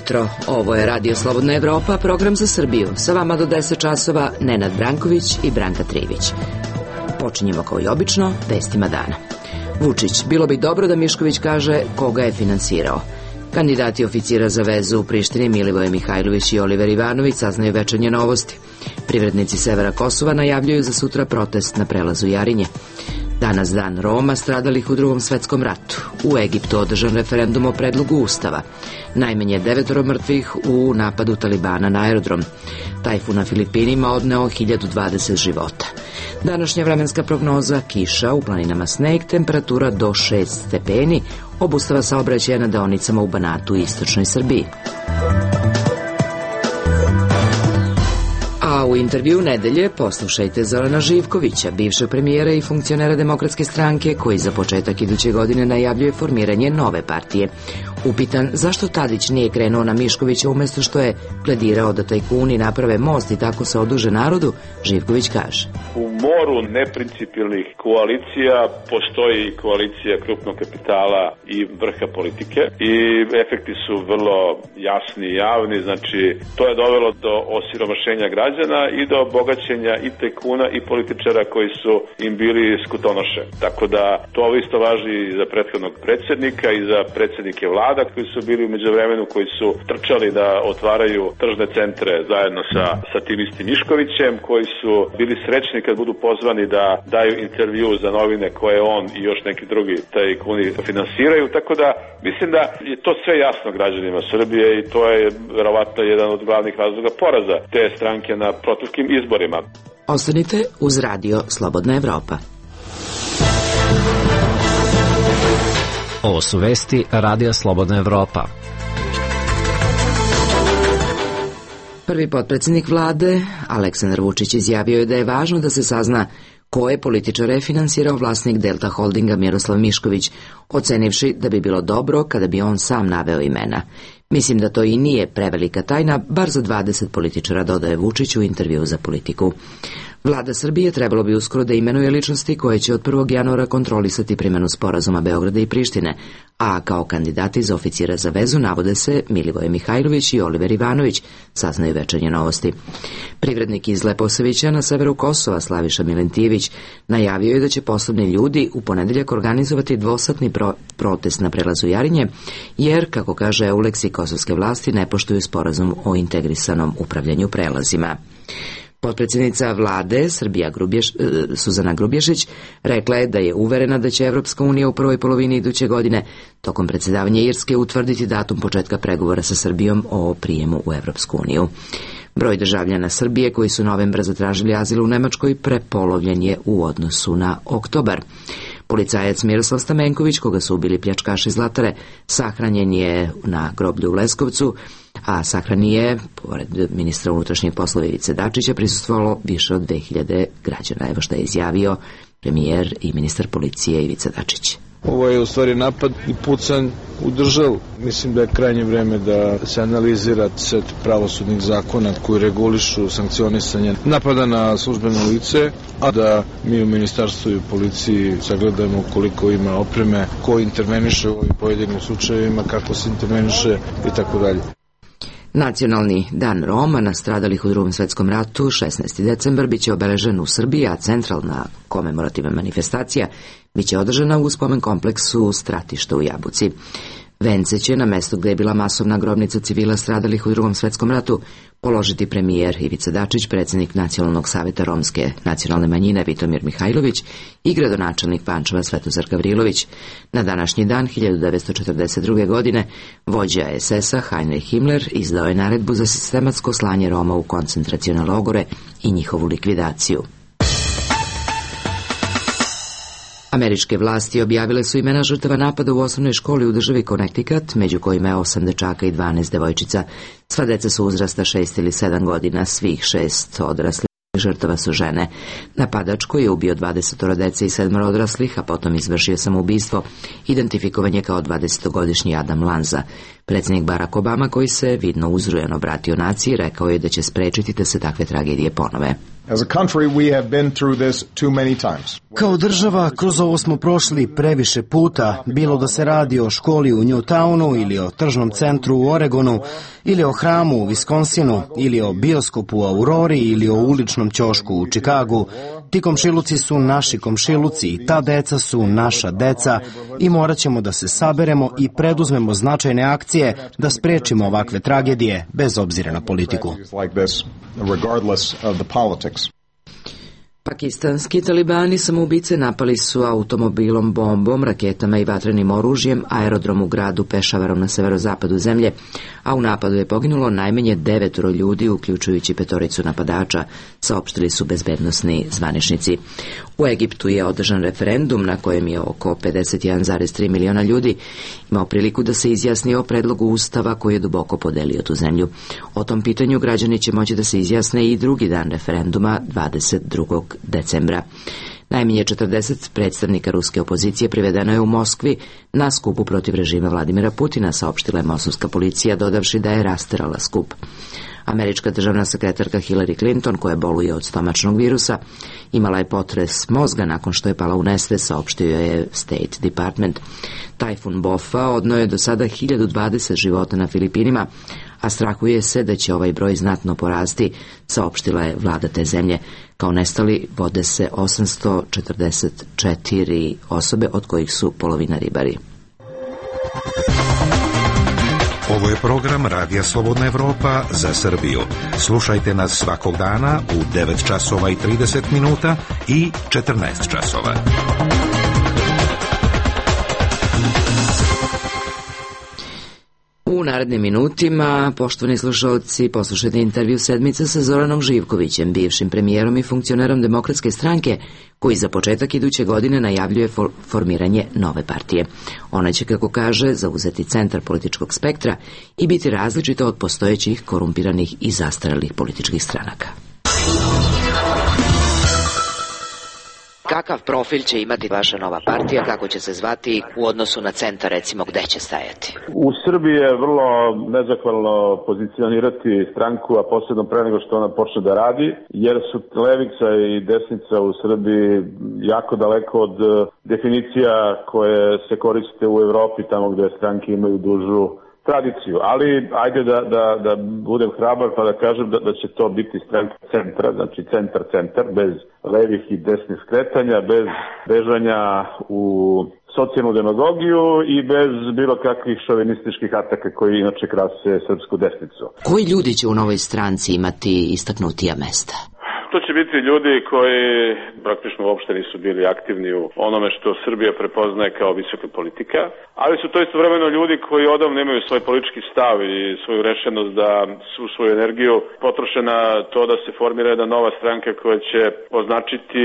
jutro. Ovo je Radio Slobodna Evropa, program za Srbiju. Sa vama do 10 časova Nenad Branković i Branka Trivić. Počinjemo kao i obično vestima dana. Vučić, bilo bi dobro da Mišković kaže koga je finansirao. Kandidati oficira za vezu u Prištini Milivoje Mihajlović i Oliver Ivanović saznaju večernje novosti. Privrednici severa Kosova najavljuju za sutra protest na prelazu Jarinje. Danas dan Roma stradalih u Drugom svetskom ratu. U Egiptu održan referendum o predlogu ustava. Najmanje 9 mrtvih u napadu Talibana na aerodrom. Tajfun na Filipinima odneo 1020 života. Današnja vremenska prognoza: kiša, u planinama sneg, temperatura do 6 stepeni, obustava saobraćaja na deonicama u Banatu i istočnoj Srbiji. A u intervju nedelje poslušajte Zorana Živkovića, bivšeg premijera i funkcionera Demokratske stranke, koji za početak iduće godine najavljuje formiranje nove partije. Upitan zašto Tadić nije krenuo na Miškovića umesto što je pledirao da tajkuni naprave most i tako se oduže narodu, Živković kaže: U moru neprincipijelnih koalicija postoji koalicija krupnog kapitala i vrha politike i efekti su vrlo jasni i javni. Znači, to je dovelo do osiromašenja građana i do bogaćenja i tajkuna i političara koji su im bili skutonoše. Tako da to isto važi i za prethodnog predsjednika i za predsjednike vlada koji su bili u međuvremenu, koji su trčali da otvaraju tržne centre zajedno sa tim istim Miškovićem, koji su bili srećni kad budu pozvani da daju intervju za novine koje on i još neki drugi tajkuni finansiraju. Tako da mislim da je to sve jasno građanima Srbije i to je verovatno jedan od glavnih razloga poraza te stranke na proteklim izborima. Ostanite uz Radio Slobodna Evropa. Ovo su vesti Radija Slobodna Evropa. Prvi potpredsjednik vlade, Aleksandar Vučić, izjavio je da je važno da se sazna koje političare je finansirao vlasnik Delta Holdinga Miroslav Mišković, ocenivši da bi bilo dobro kada bi on sam naveo imena. Mislim da to i nije prevelika tajna, bar za 20 političara, dodaje Vučić u intervju za Politiku. Vlada Srbije trebalo bi uskoro da imenuje ličnosti koje će od 1. januara kontrolisati primjenu sporazuma Beograda i Prištine, a kao kandidati za oficira za vezu navode se Milivoje Mihajlović i Oliver Ivanović, saznaju večernje novosti. Privrednik iz Leposavića na severu Kosova, Slaviša Milentijević, najavio je da će poslovni ljudi u ponedeljak organizovati dvosatni protest na prelazu Jarinje, jer, kako kaže Euleksi, kosovske vlasti ne poštuju sporazum o integrisanom upravljanju prelazima. Potpredsjednica vlade Suzana Grubješić rekla je da je uverena da će Evropska unija u prvoj polovini iduće godine tokom predsjedavanja Irske utvrditi datum početka pregovora sa Srbijom o prijemu u Evropsku uniju. Broj državljana Srbije koji su novembra zatražili azil u Nemačkoj prepolovljen je u odnosu na oktobar. Policajac Miroslav Stamenković, koga su ubili pljačkaši Zlatare, sahranjen je na groblju u Leskovcu, a sahrani je, pored ministra unutrašnjih poslova Ivice Dačića, prisustvovalo više od 2000 građana. Evo što je izjavio premijer i ministar policije Ivica Dačić. Ovo je u stvari napad i pucanj u državu. Mislim da je krajnje vreme da se analizira set pravosudnih zakona koji regulišu sankcionisanje napada na službeno lice, a da mi u ministarstvu i u policiji sagledamo koliko ima opreme, ko interveniše u ovim pojedinim slučajevima, kako se interveniše i tako dalje. Nacionalni dan Roma nastradalih u Drugom svetskom ratu, 16. decembar, biće obeležen u Srbiji, a centralna komemorativna manifestacija biće održana u spomen kompleksu Stratište u Jabuci. Vence će na mestu gde je bila masovna grobnica civila stradalih u Drugom svetskom ratu položiti premijer Ivica Dačić, predsjednik Nacionalnog saveta romske nacionalne manjine Vitomir Mihajlović i gradonačelnik Pančeva Svetozar Gavrilović. Na današnji dan 1942. godine vođa SS-a Heinrich Himmler izdao je naredbu za sistematsko slanje Roma u koncentracione logore i njihovu likvidaciju. Američke vlasti objavile su imena žrtava napada u osnovnoj školi u državi Connecticut, među kojima je 8 dečaka i 12 devojčica. Sva deca su uzrasta 6 ili 7 godina, svih 6 odraslih žrtava su žene. Napadač koji je ubio 20 dece i 7 odraslih, a potom izvršio samoubistvo, identifikovan je kao 20-godišnji Adam Lanza. Predsjednik Barack Obama, koji se vidno uzrujeno obratio naciji, rekao je da će sprečiti da se takve tragedije ponove. As a country, we have been through this too many times. Kao država, kroz ovo smo prošli previše puta, bilo da se radi o školi u Newtownu ili o tržnom centru u Oregonu, ili o hramu u Wisconsinu, ili o bioskopu u Aurori, ili o uličnom ćošku u Čikagu. Ti komšiluci su naši komšiluci i ta deca su naša deca i morat ćemo da se saberemo i preduzmemo značajne akcije da sprečimo ovakve tragedije, bez obzira na politiku. Pakistanski talibani samoubice napali su automobilom, bombom, raketama i vatrenim oružjem aerodrom u gradu Pešavaru na severozapadu zemlje, a u napadu je poginulo najmanje 9 ljudi, uključujući 5 napadača, saopštili su bezbednosni zvaničnici. U Egiptu je održan referendum na kojem je oko 51,3 miliona ljudi imao priliku da se izjasni o predlogu ustava koji je duboko podelio tu zemlju. O tom pitanju građani će moći da se izjasne i drugi dan referenduma 22. decembra. Najmanje 40 predstavnika ruske opozicije privedeno je u Moskvi na skupu protiv režima Vladimira Putina, saopštila je moskovska policija, dodavši da je rasterala skup. Američka državna sekretarka Hillary Clinton, koja boluje od stomačnog virusa, imala je potres mozga nakon što je pala u nesvest, saopštio je State Department. Tajfun Bofa odneo je do sada 1020 života na Filipinima, a strahuje se da će ovaj broj znatno porasti, saopštila je vlada te zemlje. Kao nestali vode se 844 osobe, od kojih su polovina ribari. Ovo je program Radija Slobodna Evropa za Srbiju. Slušajte nas svakog dana u 9 časova i 30 minuta i 14 časova. U narednim minutima, poštovani slušalci, poslušajte intervju sedmice sa Zoranom Živkovićem, bivšim premijerom i funkcionerom Demokratske stranke, koji za početak iduće godine najavljuje formiranje nove partije. Ona će, kako kaže, zauzeti centar političkog spektra i biti različita od postojećih korumpiranih i zastarelih političkih stranaka. Kakav profil će imati vaša nova partija, kako će se zvati u odnosu na centar, recimo, gde će stajati? U Srbiji je vrlo nezahvalno pozicionirati stranku, a posebno pre nego što ona počne da radi, jer su levica i desnica u Srbiji jako daleko od definicija koje se koriste u Evropi, tamo gde stranke imaju dužu tradiciju, ali ajde da budem hrabar pa da kažem da će to biti stranka centra, znači centar, bez levih i desnih skretanja, bez bežanja u socijalnu demagogiju i bez bilo kakvih šovinističkih ataka koji inače krase srpsku desnicu. Koji ljudi će u novoj stranci imati istaknutija mesta? To će biti ljudi koji praktično uopšte nisu bili aktivni u onome što Srbija prepoznaje kao visoka politika, ali su to istovremeno ljudi koji odavno imaju svoj politički stav i svoju rešenost da su svoju energiju potroše na to da se formira jedna nova stranka koja će označiti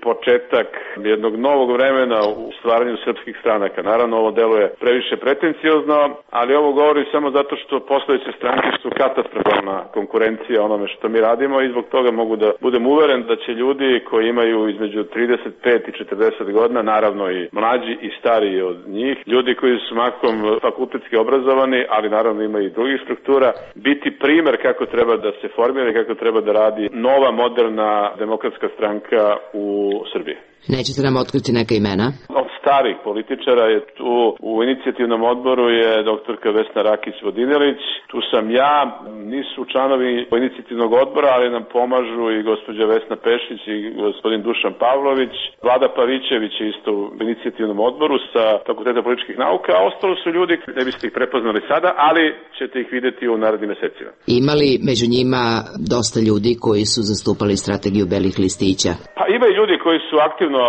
početak jednog novog vremena u stvaranju srpskih stranaka. Naravno, ovo deluje previše pretenciozno, ali ovo govori samo zato što postojeće stranke su katastrofalna konkurencija onome što mi radimo i zbog toga mogu da budem uveren da će ljudi koji imaju između 35 i 40 godina, naravno i mlađi i stariji od njih, ljudi koji su mahom fakultetski obrazovani, ali naravno ima i drugih struktura, biti primer kako treba da se formira i kako treba da radi nova, moderna demokratska stranka u Srbiji. Nećete nam otkriti neka imena? Od starih političara je tu u inicijativnom odboru je doktorka Vesna Rakić-Vodinelić, tu sam ja, nisu članovi inicijativnog odbora, ali nam pomažu i gospođa Vesna Pešić i gospodin Dušan Pavlović, Vlada Pavićević je isto u inicijativnom odboru sa Fakulteta političkih nauka, a ostalo su ljudi, ne biste ih prepoznali sada, ali ćete ih videti u narednim mesecima. Ima li među njima dosta ljudi koji su zastupali strategiju belih listića? Pa ima i ljudi koji su aktivno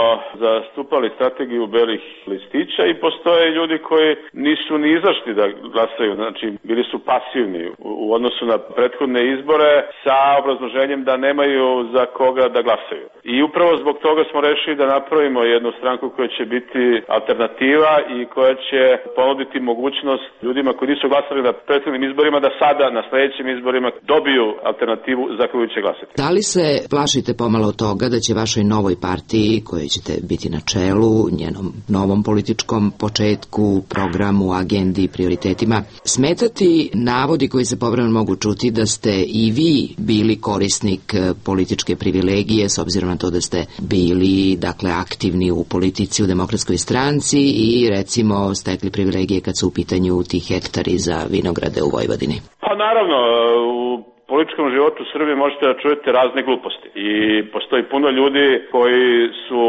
zastupali strategiju belih listića i postoje ljudi koji nisu ni izašli da glasaju, znači bili su pasivni u odnosu na prethodne izbore sa obrazloženjem da nemaju za koga da glasaju. I upravo zbog toga smo rešili da napravimo jednu stranku koja će biti alternativa i koja će ponuditi mogućnost ljudima koji nisu glasali na prethodnim izborima da sada na sledećim izborima dobiju alternativu za koju će glasati. Da li se plašite pomalo toga da će vašoj novoj partiji koje ćete biti na čelu, njenom novom političkom početku, programu, agendi i prioritetima, smetati navodi koji se povremeno mogu čuti da ste i vi bili korisnik političke privilegije, s obzirom na to da ste bili, dakle, aktivni u politici u Demokratskoj stranci i, recimo, stekli privilegije kad su u pitanju ti hektari za vinograde u Vojvodini? Pa naravno, u političkom životu u Srbiji možete da čujete razne gluposti i postoji puno ljudi koji su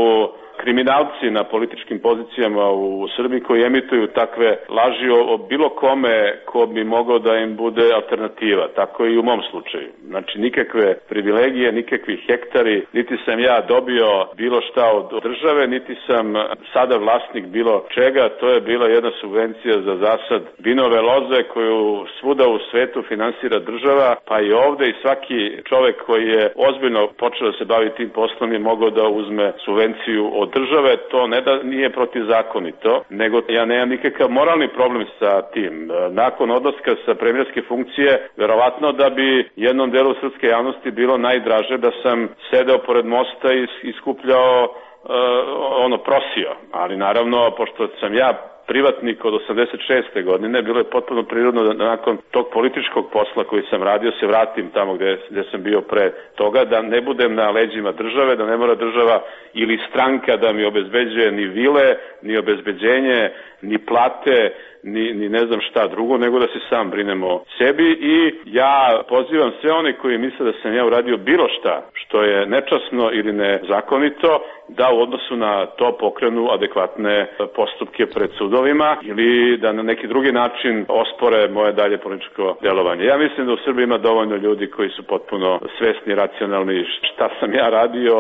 kriminalci na političkim pozicijama u Srbiji koji emituju takve laži o bilo kome ko bi mogao da im bude alternativa. Tako i u mom slučaju. Znači nikakve privilegije, nikakvi hektari, niti sam ja dobio bilo šta od države, niti sam sada vlasnik bilo čega. To je bila jedna subvencija za zasad vinove loze koju svuda u svetu finansira država, pa i ovde, i svaki čovek koji je ozbiljno počeo da se bavi tim poslom je mogao da uzme subvenciju od države. To ne da nije protivzakonito, nego ja nemam nikakav moralni problem sa tim. Nakon odlaska sa premijerske funkcije, verovatno da bi jednom delu srpske javnosti bilo najdraže da sam sedeo pored mosta i skupljao prosio. Ali naravno, pošto sam ja privatnik od 86. godine, bilo je potpuno prirodno da nakon tog političkog posla koji sam radio se vratim tamo gde sam bio pre toga, da ne budem na leđima države, da ne mora država ili stranka da mi obezbeđuje ni vile, ni obezbeđenje, ni plate, ni ne znam šta drugo, nego da se sam brinem o sebi. I ja pozivam sve one koji misle da sam ja uradio bilo šta što je nečasno ili nezakonito, da u odnosu na to pokrenu adekvatne postupke pred sudovima ili da na neki drugi način ospore moje dalje političko delovanje. Ja mislim da u Srbiji ima dovoljno ljudi koji su potpuno svesni, racionalni šta sam ja radio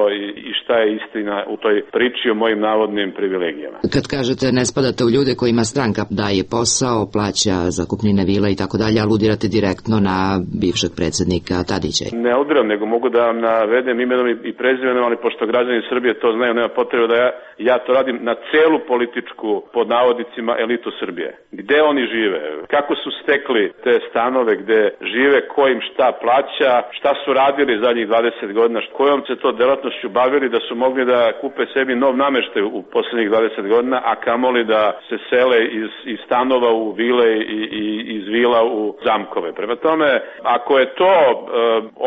i šta je istina u toj priči o mojim navodnim privilegijama. Kad kažete ne spadate u ljude kojima stranka daje posao, plaća zakupnine vila i tako dalje, aludirate direktno na bivšeg predsednika Tadića? Ne aludiram, nego mogu da vam navedem imenom i prezimenom, ali pošto građani Srbije to znaju, nema potrebe da ja to radim na celu političku, pod navodnicima, elitu Srbije. Gde oni žive, kako su stekli te stanove gde žive, ko im šta plaća, šta su radili zadnjih 20 godina, kojom se to delatnošću bavili da su mogli da kupe sebi nov nameštaj u poslednjih 20 godina, a kamoli da se sele iz stanova u vile i iz vila u zamkove. Prema tome, ako je to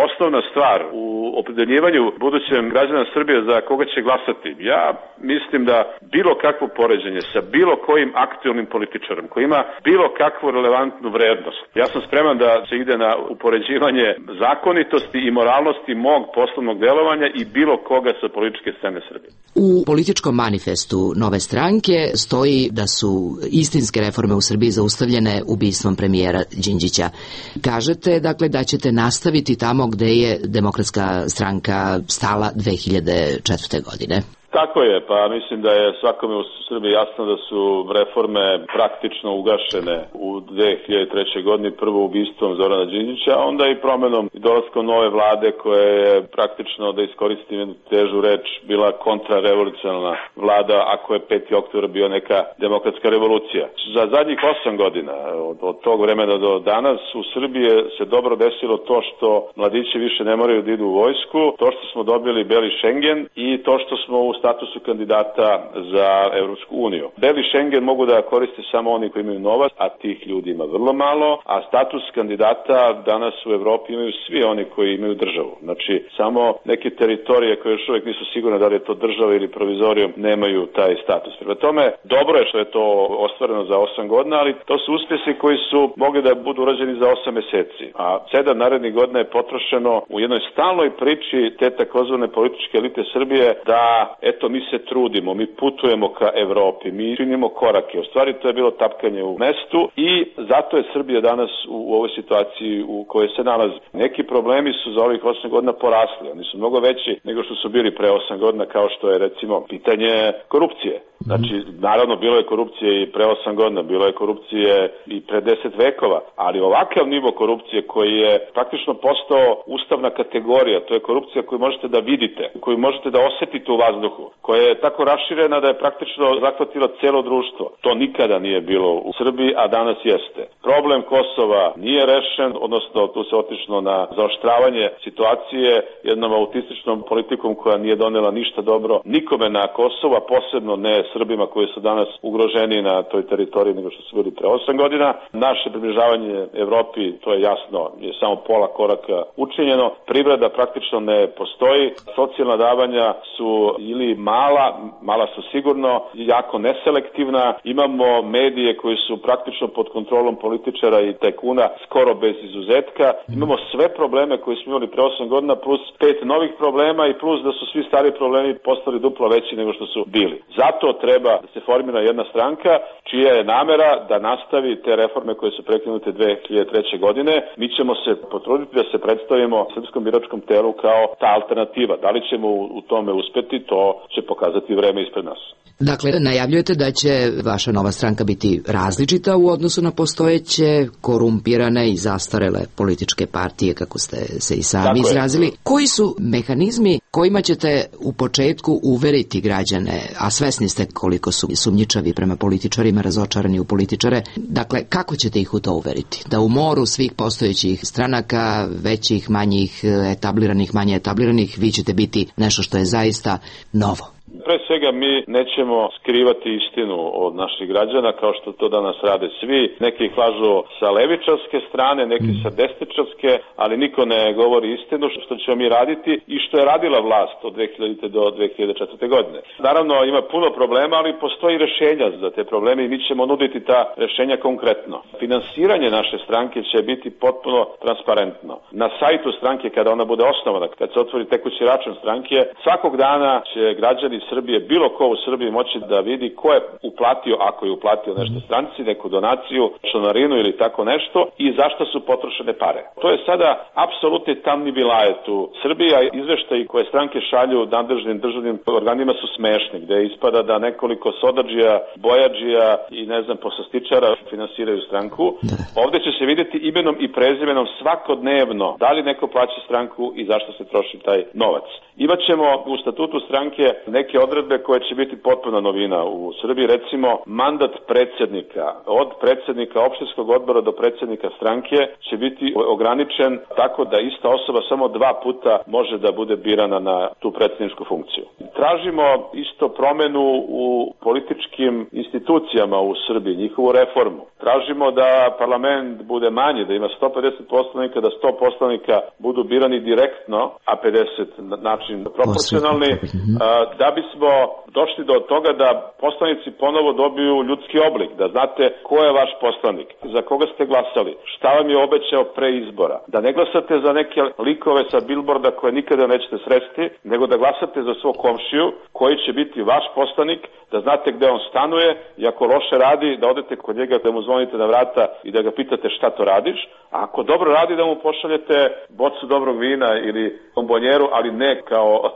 osnovna stvar u opredeljivanju budućem građana Srbije za koga će glasati, ja mislim da bilo kakvo poređenje sa bilo kojim aktuelnim političarom koji ima bilo kakvu relevantnu vrednost, ja sam spreman da se ide na upoređivanje zakonitosti i moralnosti mog poslovnog delovanja i bilo koga sa političke scene Srbije. U političkom manifestu Nove stranke stoji da su istinske reforme u Srbiji zaustavljene ubistvom premijera Đinđića. Kažete, dakle, da ćete nastaviti tamo gde je Demokratska stranka stala 2004. godine. Tako je, pa mislim da je svakome u Srbiji jasno da su reforme praktično ugašene u 2003. godini, prvo ubistvom Zorana Đinđića, a onda i promenom i dolaskom nove vlade koja je praktično, da iskoristim jednu težu reč, bila kontrarevolucionarna vlada, ako je 5. oktobar bio neka demokratska revolucija. Za zadnjih 8 godina, od tog vremena do danas, u Srbiji se dobro desilo to što mladići više ne moraju da idu u vojsku, to što smo dobili beli Šengen i to što smo u statusu kandidata za Evropsku uniju. Beli Šengen mogu da koriste samo oni koji imaju novac, a tih ljudi ima vrlo malo, a status kandidata danas u Evropi imaju svi oni koji imaju državu. Znači, samo neke teritorije koje još uvijek nisu sigurne da li je to država ili provizorijom nemaju taj status. Prema tome, dobro je što je to ostvareno za 8 godina, ali to su uspjesi koji su mogli da budu urađeni za 8 meseci. A 7 narednih godina je potrošeno u jednoj stalnoj priči te takozvane političke elite Srbije da eto, mi se trudimo, mi putujemo ka Evropi, mi činimo korake. U stvari to je bilo tapkanje u mestu i zato je Srbija danas u ovoj situaciji u kojoj se nalazi. Neki problemi su za ovih 8 godina porasli, oni su mnogo veći nego što su bili pre 8 godina, kao što je recimo pitanje korupcije. Znači, naravno, bilo je korupcije i pre 8 godina, bilo je korupcije i pre 10 vekova, ali ovakav nivo korupcije koji je praktično postao ustavna kategorija, to je korupcija koju možete da vidite, koju možete da osetite u vazduhu, koja je tako raširena da je praktično zahvatila celo društvo. To nikada nije bilo u Srbiji, a danas jeste. Problem Kosova nije rešen, odnosno tu se otišlo na zaoštravanje situacije jednom autističnom politikom koja nije donela ništa dobro nikome na Kosovu, a posebno ne Srbima koji su danas ugroženi na toj teritoriji nego što su bili pre 8 godina. Naše približavanje Evropi, to je jasno, je samo pola koraka učinjeno. Privreda praktično ne postoji. Socijalna davanja su ili mala su sigurno, jako neselektivna. Imamo medije koji su praktično pod kontrolom političara i tajkuna skoro bez izuzetka. Imamo sve probleme koje smo imali pre 8 godina plus 5 novih problema i plus da su svi stari problemi postali duplo veći nego što su bili. Zato treba da se formira jedna stranka čija je namera da nastavi te reforme koje su prekinute 2003. godine. Mi ćemo se potruditi da se predstavimo srpskom biračkom telu kao ta alternativa. Da li ćemo u tome uspeti, to će pokazati vreme ispred nas. Dakle, najavljujete da će vaša nova stranka biti različita u odnosu na postojeće korumpirane i zastarele političke partije, kako ste se i sami izrazili. Koji su mehanizmi kojima ćete u početku uveriti građane, a svesni ste koliko su sumnjičavi prema političarima, razočarani u političare, dakle, kako ćete ih u to uveriti? Da u moru svih postojećih stranaka, većih, manjih, etabliranih, manje etabliranih, vi ćete biti nešto što je zaista novo? Pre svega mi nećemo skrivati istinu od naših građana kao što to danas rade svi. Neki ih lažu sa levičarske strane, neki sa desničarske, ali niko ne govori istinu što ćemo mi raditi i što je radila vlast od 2000. do 2004. godine. Naravno ima puno problema, ali postoji rešenja za te probleme i mi ćemo nuditi ta rešenja konkretno. Finansiranje naše stranke će biti potpuno transparentno. Na sajtu stranke kada ona bude osnovana, kad se otvori tekući račun stranke, svakog dana će građani Srbije, bilo ko u Srbiji moći da vidi ko je uplatio, ako je uplatio nešto stranci, neku donaciju, članarinu ili tako nešto i zašto su potrošene pare. To je sada apsolutni tamni vilajet u Srbiji, a izveštaji koje stranke šalju nadležnim državnim organima su smešni, gde ispada da nekoliko sodadžija, bojadžija i poslastičara finansiraju stranku. Ovde će se vidjeti imenom i prezimenom svakodnevno da li neko plaća stranku i zašto se troši taj novac. Imaćemo u statutu stranke neke odredbe koje će biti potpuna novina u Srbiji, recimo mandat predsjednika, od predsjednika opštinskog odbora do predsjednika stranke će biti ograničen tako da ista osoba samo 2 puta može da bude birana na tu predsjedničku funkciju. Tražimo isto promenu u političkim institucijama u Srbiji, njihovu reformu. Tražimo da parlament bude manji, da ima 150 poslanika, da 100 poslanika budu birani direktno, a 50 na način proporcionalni, da bismo došli do toga da poslanici ponovo dobiju ljudski oblik, da znate ko je vaš poslanik, za koga ste glasali, šta vam je obećao pre izbora, da ne glasate za neke likove sa bilborda koje nikada nećete sresti, nego da glasate za svog komšiju koji će biti vaš poslanik, da znate gde on stanuje i ako loše radi, da odete kod njega, da mu zvonite na vrata i da ga pitate šta to radiš, a ako dobro radi da mu pošaljete bocu dobrog vina ili bombonjeru, ali ne kao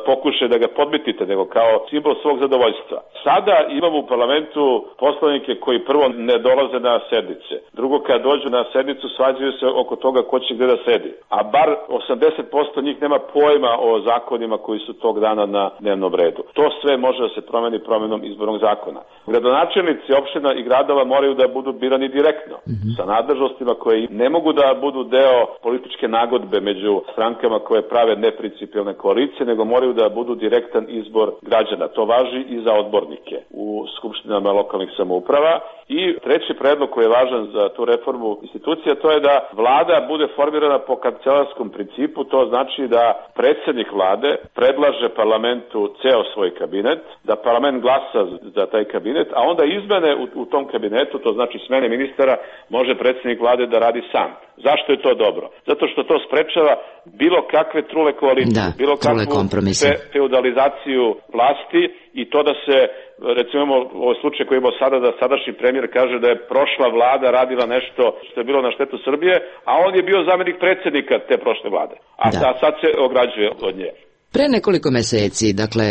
pokušaj da ga podmitite, nego kao simbol svog zadovoljstva. Sada imamo u parlamentu poslanike koji prvo ne dolaze na sednice, drugo kad dođu na sednicu svađaju se oko toga ko će gde da sedi, a bar 80% njih nema pojma o zakonima koji su tog dana na dnevnom redu. To sve može da se promeni promenom izbornog zakona. Gradonačelnici opština i gradova moraju da budu birani direktno, sa nadležnostima koje ne mogu da budu deo političke nagodbe među strankama koje prave neprincipijelne koalicije, nego moraju da budu direktan izbor građana. To važi i za odbornike u skupštinama lokalnih samouprava. I treći predlog koji je važan za tu reformu institucija, to je da vlada bude formirana po kancelarskom principu, to znači da predsjednik vlade predlaže parlamentu ceo svoj kabinet, da parlament glasa za taj kabinet, a onda izmene u tom kabinetu, to znači smene ministara, može predsjednik vlade da radi sam. Zašto je to dobro? Zato što to sprečava bilo kakve trule koalicije, bilo kakvu feudalizaciju vlasti i to da se, recimo ovaj slučaj koji imamo sada, da sadašnji premijer kaže da je prošla vlada radila nešto što je bilo na štetu Srbije, a on je bio zamjenik predsjednika te prošle vlade, a sad se ograđuje od nje. Pre nekoliko meseci, dakle,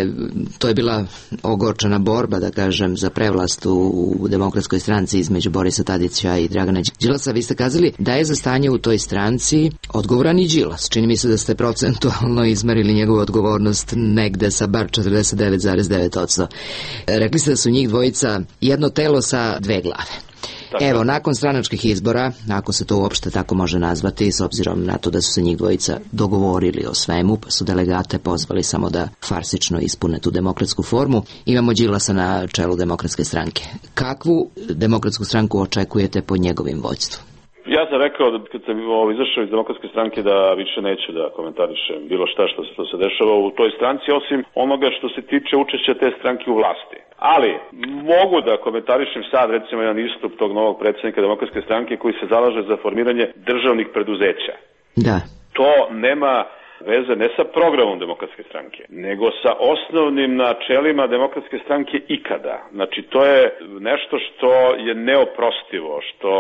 to je bila ogorčena borba, da kažem, za prevlast u Demokratskoj stranci između Borisa Tadića i Dragana Đilasa. Vi ste kazali da je za stanje u toj stranci odgovoran i Đilas. Čini mi se da ste procentualno izmerili njegovu odgovornost negde sa bar 49,9%. Rekli ste da su njih dvojica jedno telo sa dve glave. Evo, nakon stranačkih izbora, ako se to uopšte tako može nazvati, s obzirom na to da su se njih dvojica dogovorili o svemu, pa su delegate pozvali samo da farsično ispune tu demokratsku formu, imamo Đilasa na čelu Demokratske stranke. Kakvu Demokratsku stranku očekujete pod njegovim vođstvom? Ja sam rekao da kad sam izašao iz Demokratske stranke da više neću da komentarišem bilo šta što se dešava u toj stranci, osim onoga što se tiče učešća te stranke u vlasti. Ali mogu da komentarišem sad recimo jedan istup tog novog predsjednika Demokratske stranke koji se zalaže za formiranje državnih preduzeća. Da. To nema veze ne sa programom Demokratske stranke, nego sa osnovnim načelima Demokratske stranke ikada. Znači, to je nešto što je neoprostivo, što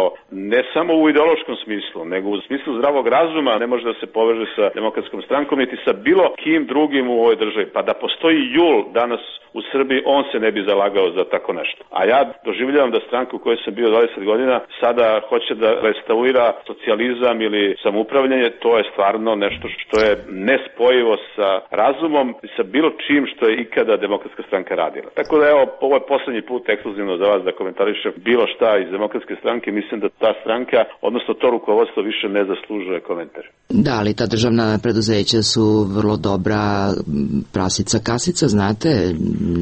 ne samo u ideološkom smislu, nego u smislu zdravog razuma ne može da se poveže sa Demokratskom strankom, niti sa bilo kim drugim u ovoj državi. Pa da postoji JUL danas u Srbiji, on se ne bi zalagao za tako nešto. A ja doživljavam da stranka u kojoj sam bio 20 godina sada hoće da restaurira socijalizam ili samoupravljanje. To je stvarno nešto što je nespojivo sa razumom i sa bilo čim što je ikada Demokratska stranka radila. Tako da evo, ovo je poslednji put ekskluzivno za vas da komentarišem bilo šta iz Demokratske stranke. Mislim da ta stranka, odnosno to rukovodstvo više ne zaslužuje komentar. Da, ali ta državna preduzeća su vrlo dobra prasica kasica, znate?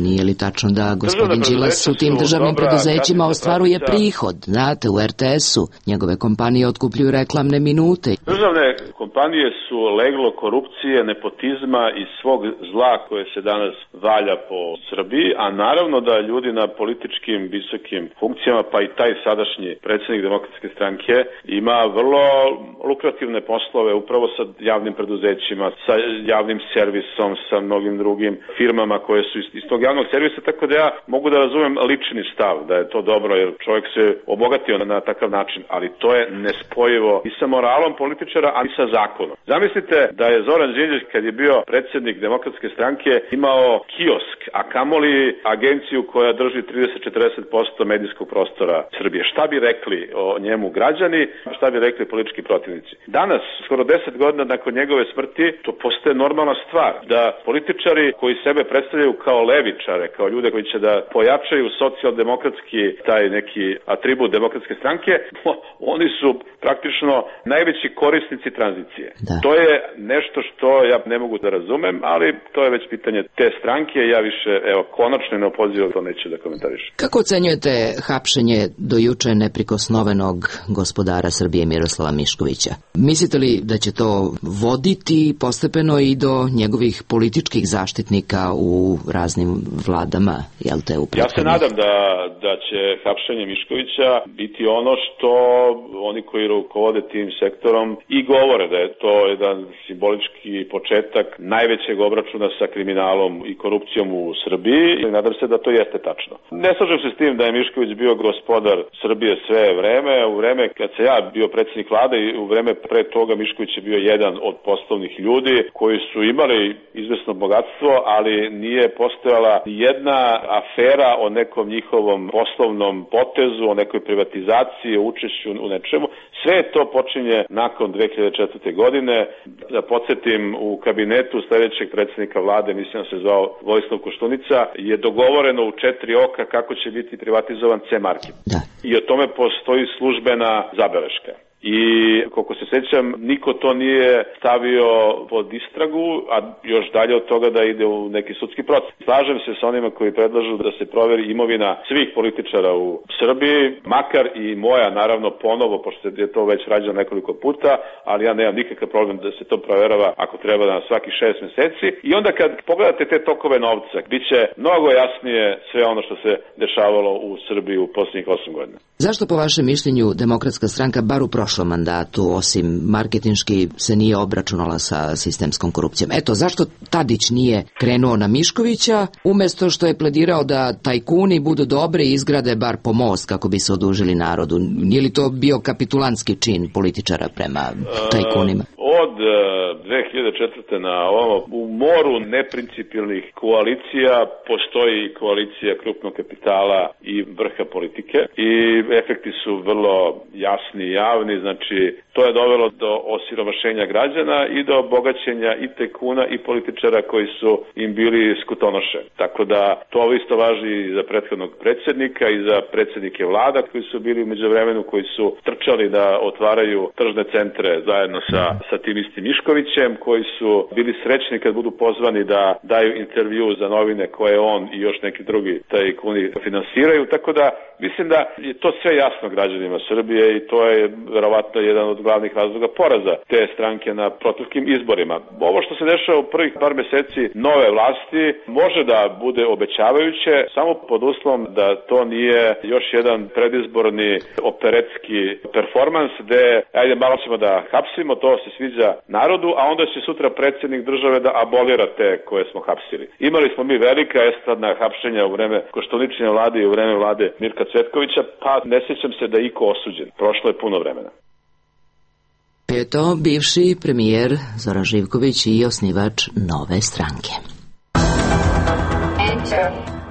Nije li tačno da gospodin Đilas u tim državnim preduzećima ostvaruje prihod? Znate, u RTS-u njegove kompanije otkupljuju reklamne minute. Državne kompanije su leglo korupcije, nepotizma i svog zla koje se danas valja po Srbiji, a naravno da ljudi na političkim visokim funkcijama, pa i taj sadašnji predsjednik Demokratske stranke ima vrlo lukrativne poslove upravo sa javnim preduzećima, sa javnim servisom, sa mnogim drugim firmama koje su iz tog javnog servisa, tako da ja mogu da razumem lični stav, da je to dobro, jer čovjek se obogatio na takav način, ali to je nespojivo i sa moralom političara, ali i sa zakonom. Zamislite da je Zoran Đinđić, kad je bio predsjednik Demokratske stranke, imao kiosk, a kamoli agenciju koja drži 30-40% medijskog prostora Srbije. Šta bi rekli o njemu građani, šta bi rekli politički protivnici? Danas, skoro 10 godina nakon njegove smrti, to postaje normalna stvar, da političari koji sebe predstavljaju kao levičare, kao ljude koji će da pojačaju socijaldemokratski taj neki atribut Demokratske stranke, oni su praktično najveći korisnici tranzicije. Da. To je nešto što ja ne mogu da razumem, ali to je već pitanje te stranke, ja više, evo, konačno ne opozivam, to neću da komentarišem. Kako ocenjujete hapšenje do juče neprikosnovenog gospodara Srbije Miroslava Miškovića? Mislite li da će to voditi postepeno i do njegovih političkih zaštitnika u raznim vladama, jel te upravo? Ja se nadam da će hapšenje Miškovića biti ono što oni koji rukovode tim sektorom i govore, da je to jedan simbolički početak najvećeg obračuna sa kriminalom i korupcijom u Srbiji i nadam se da to jeste tačno. Ne slažem se s tim da je Mišković bio gospodar Srbije sve vreme. U vreme kad se ja bio predsjednik vlade i u vreme pre toga Mišković je bio jedan od poslovnih ljudi koji su imali izvesno bogatstvo, ali nije postojala jedna afera o nekom njihovom poslovnom potezu, o nekoj privatizaciji, o učešću u nečemu. Sve to počinje nakon 2004. godine. Da podsjetim, u kabinetu sljedećeg predsjednika vlade, mislim da se zvao Vojislav Koštunica, je dogovoreno u 4 oka kako će biti privatizovan C-market. I o tome postoji službena zabeleška. I koliko se sjećam, niko to nije stavio pod istragu, a još dalje od toga da ide u neki sudski proces. Slažem se sa onima koji predlažu da se proveri imovina svih političara u Srbiji, makar i moja, naravno, ponovo, pošto je to već rađeno nekoliko puta, ali ja nemam nikakav problem da se to proverava ako treba na svaki 6 meseci. I onda kad pogledate te tokove novca, bit će mnogo jasnije sve ono što se dešavalo u Srbiji u posljednjih 8 godina. Zašto po vašem mišljenju Demokratska stranka bar u prošlom mandatu, osim marketinški, se nije obračunala sa sistemskom korupcijom? Eto, zašto Tadić nije krenuo na Miškovića, umesto što je pledirao da tajkuni budu dobri i izgrade bar pomost kako bi se odužili narodu? Nije li to bio kapitulantski čin političara prema tajkunima? od 2004. na ovamo u moru neprincipijelnih koalicija postoji koalicija krupnog kapitala i vrha politike i efekti su vrlo jasni i javni, znači to je dovelo do osiromašenja građana i do bogaćenja i tajkuna i političara koji su im bili skutonoše. Tako da to isto važi i za prethodnog predsjednika i za predsjednike vlada koji su bili u međuvremenu, koji su trčali da otvaraju tržne centre zajedno sa tim istim Miškovićem, koji su bili srećni kad budu pozvani da daju intervju za novine koje on i još neki drugi tajkuni finansiraju. Tako da mislim da je to sve jasno građanima Srbije i to je verovatno jedan od glavnih razloga poraza te stranke na proteklim izborima. Ovo što se dešava u prvih par meseci nove vlasti može da bude obećavajuće samo pod uslovom da to nije još jedan predizborni operetski performans gde ajde malo ćemo da hapsimo, to se sviđa narodu, a onda će sutra predsjednik države da abolira te koje smo hapsili. Imali smo mi velika estradna hapšenja u vreme Koštuničine vlade i u vreme vlade Mirka Cvetkovića, pa ne sjećam se da je iko osuđen. Prošlo je puno vremena. Je to bivši premijer Zoran Živković i osnivač Nove stranke.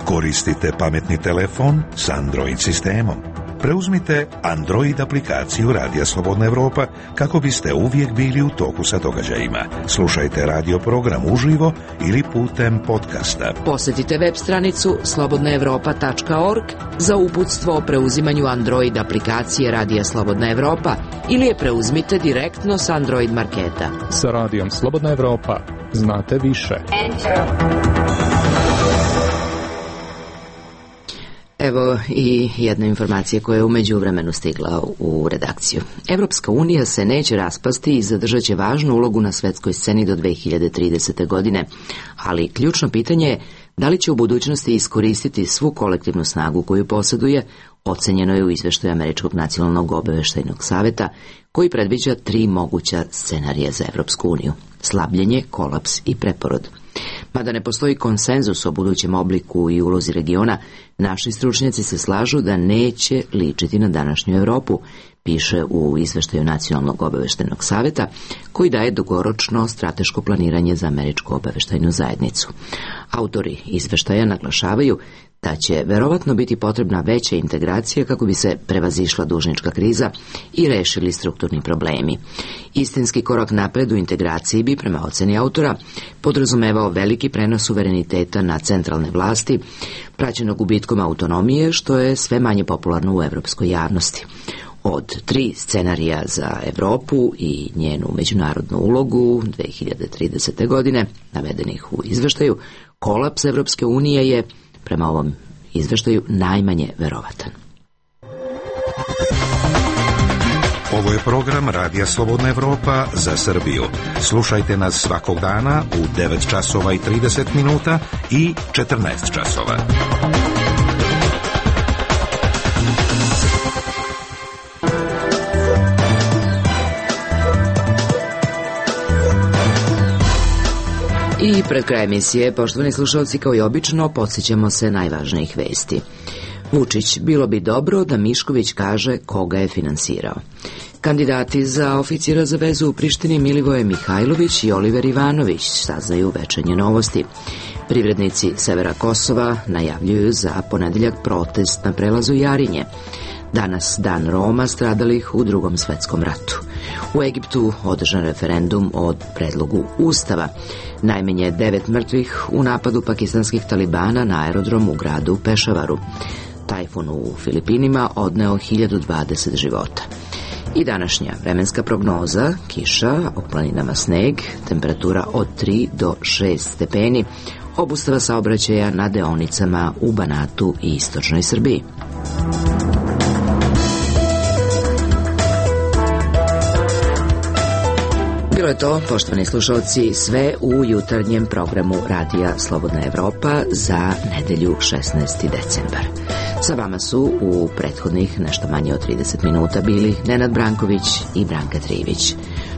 Koristite pametni telefon s Android sistemom. Preuzmite Android aplikaciju Radija Slobodna Evropa kako biste uvijek bili u toku sa događajima. Slušajte radio program uživo ili putem podcasta. Posjetite web stranicu slobodnaevropa.org za uputstvo o preuzimanju Android aplikacije Radija Slobodna Evropa ili je preuzmite direktno s Android marketa. Sa Radijom Slobodna Evropa znate više. Evo i jedna informacija koja je u međuvremenu stigla u redakciju. Evropska unija se neće raspasti i zadržat će važnu ulogu na svetskoj sceni do 2030. godine, ali ključno pitanje je da li će u budućnosti iskoristiti svu kolektivnu snagu koju posjeduje, ocenjeno je u izveštaju Američkog nacionalnog obaveštajnog saveta, koji predviđa 3 moguća scenarija za Evropsku uniju: slabljenje, kolaps i preporod. Mada ne postoji konsenzus o budućem obliku i ulozi regiona, naši stručnjaci se slažu da neće ličiti na današnju Europu, piše u izveštaju Nacionalnog obaveštajnog saveta, koji daje dugoročno strateško planiranje za američku obaveštajnu zajednicu. Autori izveštaja naglašavaju da će verovatno biti potrebna veća integracija kako bi se prevazišla dužnička kriza i rešili strukturni problemi. Istinski korak napred u integraciji bi, prema oceni autora, podrazumevao veliki prenos suvereniteta na centralne vlasti, praćeno gubitkom autonomije, što je sve manje popularno u evropskoj javnosti. Od 3 scenarija za Evropu i njenu međunarodnu ulogu 2030. godine, navedenih u izveštaju, kolaps Evropske unije je, prema ovom izveštaju, najmanje verovatan. Ovo je program Radija Slobodna Evropa za Srbiju. Slušajte nas svakog dana u 9 časova i 30 minuta i 14 časova. I pred kraj emisije, poštovani slušalci, kao i obično, podsjećamo se najvažnijih vesti. Vučić: bilo bi dobro da Mišković kaže koga je finansirao. Kandidati za oficira za vezu u Prištini Milivoje Mihajlović i Oliver Ivanović saznaju večernje novosti. Privrednici severa Kosova najavljuju za ponedeljak protest na prelazu Jarinje. Danas dan Roma stradalih u Drugom svetskom ratu. U Egiptu održan referendum o predlogu ustava. Najmanje 9 mrtvih u napadu pakistanskih talibana na aerodrom u gradu Pešavaru. Tajfun u Filipinima odneo 1020 života. I današnja vremenska prognoza: kiša, u planinama sneg, temperatura od 3 do 6 stepeni, obustava saobraćaja na deonicama u Banatu i istočnoj Srbiji. Bilo je to, poštovani slušalci, sve u jutarnjem programu Radija Slobodna Evropa za nedelju 16. decembar. Sa vama su u prethodnih nešto manje od 30 minuta bili Nenad Branković i Branka Trivić.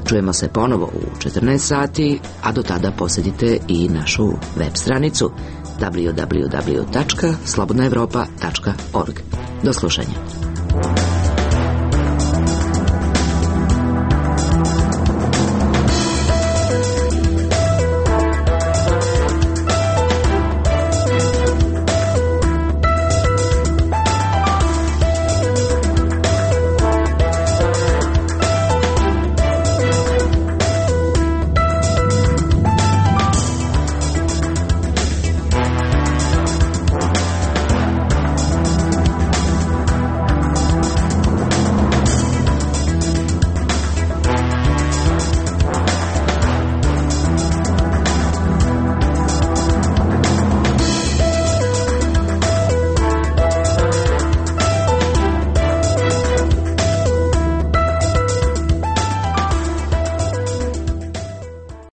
Čujemo se ponovo u 14 sati, a do tada posjetite i našu web stranicu www.slobodnaevropa.org. Do slušanja.